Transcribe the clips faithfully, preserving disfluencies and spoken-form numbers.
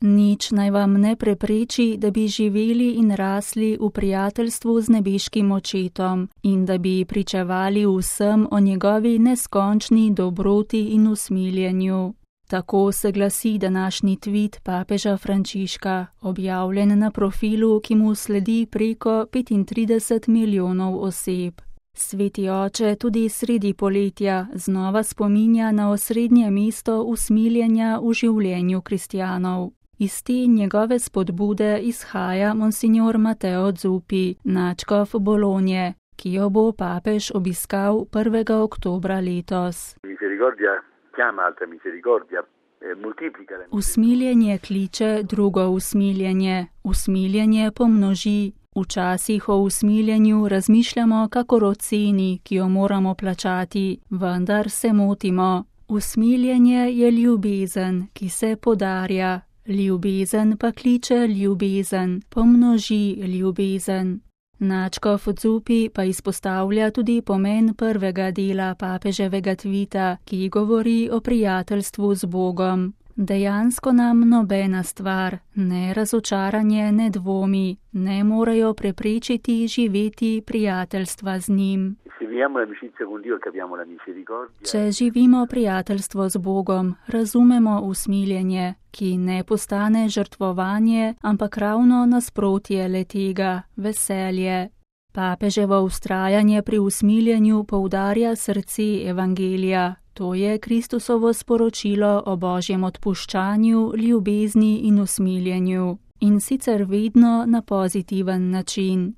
Nič naj vam ne prepreči, da bi živeli in rasli v prijateljstvu z nebeškim očetom in da bi pričevali vsem o njegovi neskončni dobroti in usmiljenju. Tako se glasi današnji tvit papeža Frančiška, objavljen na profilu, ki mu sledi preko petintrideset milijonov oseb. Sveti oče tudi sredi poletja znova spominja na osrednje mesto usmiljenja v življenju kristjanov. Iz te njegove spodbude izhaja monsignor Matteo Zuppi, nadškof Bolonje, ki jo bo papež obiskal prvega oktobra letos. Usmiljenje kliče drugo usmiljenje, usmiljenje pomnoži. Včasih o usmiljenju razmišljamo kakor o ceni, ki jo moramo plačati, vendar se motimo. Usmiljenje je ljubezen, ki se podarja. Ljubezen pa kliče ljubezen, pomnoži ljubezen. Nadškof Zuppi pa izpostavlja tudi pomen prvega dela papeževega tvita, ki govori o prijateljstvu z Bogom. Dejansko nam nobena stvar, ne razočaranje, ne dvomi, ne morejo preprečiti živeti prijateljstva z njim. Če živimo prijateljstvo z Bogom, razumemo usmiljenje, ki ne postane žrtvovanje, ampak ravno nasprotje le-tega, veselje. Papeževo vztrajanje pri usmiljenju poudarja srce evangelija. To je Kristusovo sporočilo o Božjem odpuščanju, ljubezni in usmiljenju. In sicer vedno na pozitiven način.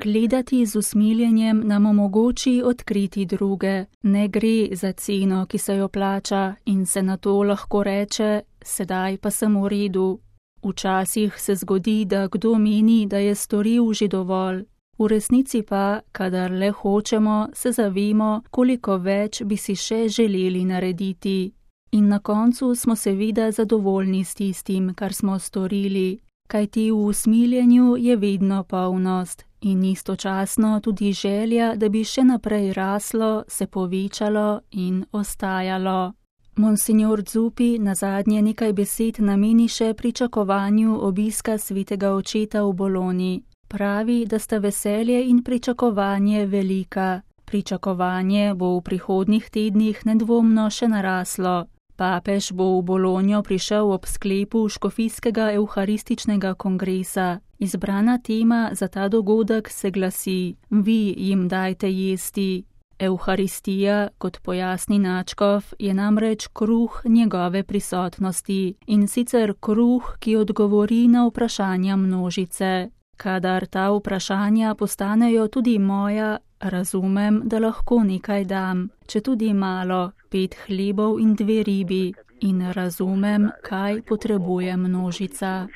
Gledati z usmiljenjem nam omogoči odkriti druge. Ne gre za ceno, ki se jo plača in se na to lahko reče, sedaj pa sem v redu. Včasih se zgodi, da kdo meni, da je storil že dovolj. V resnici pa, kadar le hočemo, se zavemo, koliko več bi si še želeli narediti. In na koncu smo seveda zadovoljni s tistim, kar smo storili, kajti v usmiljenju je vedno polnost in istočasno tudi želja, da bi še naprej raslo, se povečalo in ostajalo. Monsignor Zuppi nazadnje nekaj besed nameni še pričakovanju obiska svetega očeta v Bologni. Pravi, da sta veselje in pričakovanje velika. Pričakovanje bo v prihodnjih tednih nedvomno še naraslo. Papež bo v Bolonjo prišel ob sklepu škofijskega evharističnega kongresa. Izbrana tema za ta dogodek se glasi: Vi jim dajte jesti. Evharistija, kot pojasni nadškof, je namreč kruh njegove prisotnosti, in sicer kruh, ki odgovori na vprašanja množice. Kadar ta vprašanja postanejo tudi moja, razumem, da lahko nekaj dam, če tudi malo, pet hlebov in dve ribi, in razumem, kaj potrebuje množica.